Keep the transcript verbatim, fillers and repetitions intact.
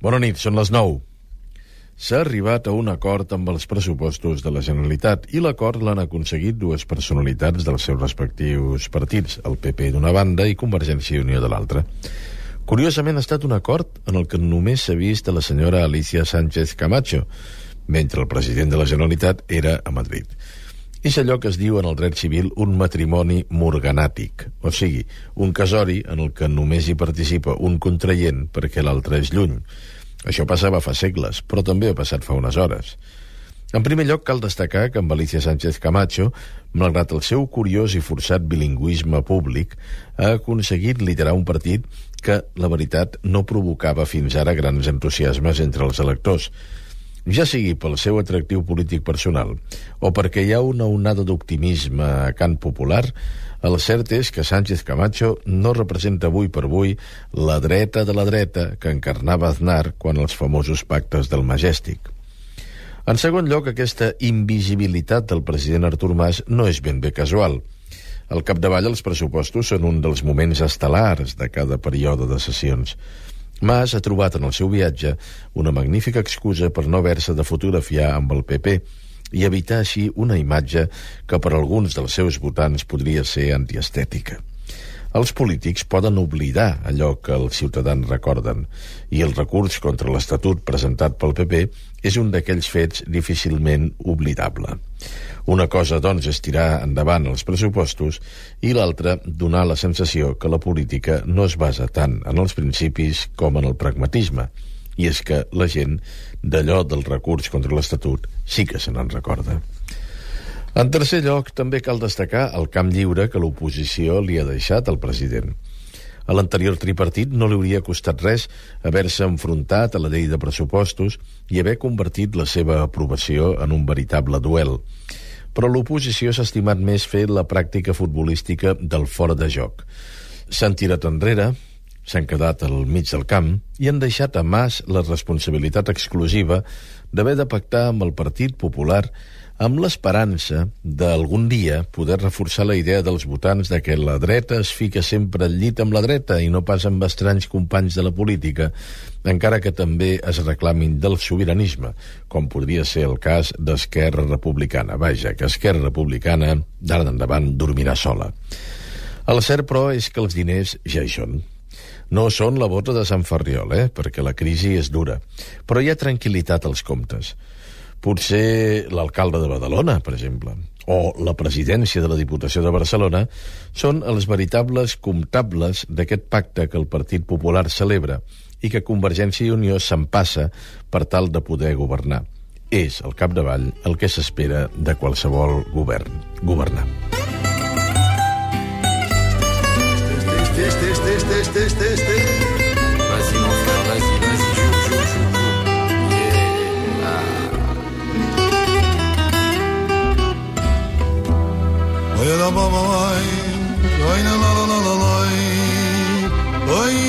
Bona nit, són les nou. S'ha arribat a un acord amb els pressupostos de la Generalitat i l'acord l'han aconseguit dues personalitats dels seus respectius partits, el P P d'una banda i Convergència i Unió de l'altra. Curiosament ha estat un acord en el que només s'ha vist a la senyora Alicia Sánchez Camacho, mentre el president de la Generalitat era a Madrid. És allò que es diu en el dret civil un matrimoni morganàtic, o sigui, un casori en el que només hi participa un contraient perquè l'altre és lluny. Això passava fa segles, però també ha passat fa unes hores. En primer lloc, cal destacar que amb Alicia Sánchez Camacho, malgrat el seu curiós i forçat bilingüisme públic, ha aconseguit liderar un partit que, la veritat, no provocava fins ara grans entusiasmes entre els electors, ja sigui pel seu atractiu polític personal o perquè hi ha una onada d'optimisme a cant popular. El cert és que Sánchez Camacho no representa avui per avui la dreta de la dreta que encarnava Aznar quan els famosos pactes del Majestic. En segon lloc, aquesta invisibilitat del president Artur Mas no és ben bé casual. Al capdavall, els pressupostos són un dels moments estel·lars de cada període de sessions. Mas ha trobat en el seu viatge una magnífica excusa per no haver-se de fotografiar amb el P P i evitar així una imatge que per alguns dels seus votants podria ser antiestètica. Els polítics poden oblidar allò que els ciutadans recorden, i el recurs contra l'Estatut presentat pel P P és un d'aquells fets difícilment oblidable. Una cosa, doncs, és tirar endavant els pressupostos i l'altra, donar la sensació que la política no es basa tant en els principis com en el pragmatisme. I és que la gent, d'allò del recurs contra l'Estatut, sí que se n'en recorda. En tercer lloc, també cal destacar el camp lliure que l'oposició li ha deixat al president. A l'anterior tripartit no li hauria costat res haver-se enfrontat a la llei de pressupostos i haver convertit la seva aprovació en un veritable duel. Però l'oposició s'ha estimat més fer la pràctica futbolística del fora de joc. S'han tirat enrere, s'han quedat al mig del camp i han deixat a Mas la responsabilitat exclusiva d'haver de pactar amb el Partit Popular amb l'esperança d'algun dia poder reforçar la idea dels votants de que la dreta es fica sempre al llit amb la dreta i no pas amb estranys companys de la política, encara que també es reclamin del sobiranisme, com podria ser el cas d'Esquerra Republicana. Vaja, que Esquerra Republicana d'ara endavant dormirà sola. El cert, però, és que els diners ja hi són. No són la bota de Sant Ferriol, eh? perquè la crisi és dura, però hi ha tranquil·litat als comptes. Potser l'alcalde de Badalona, per exemple, o la presidència de la Diputació de Barcelona són els veritables comptables d'aquest pacte que el Partit Popular celebra i que Convergència i Unió s'empassa per tal de poder governar. És, al capdavall, el que s'espera de qualsevol govern, governar. Test, test, test, test, test, test, test. Vas-y, mon frère, vas-y, vas-y, joue, joue, joue. Oy la baba, oy, oy la la la la la, oy.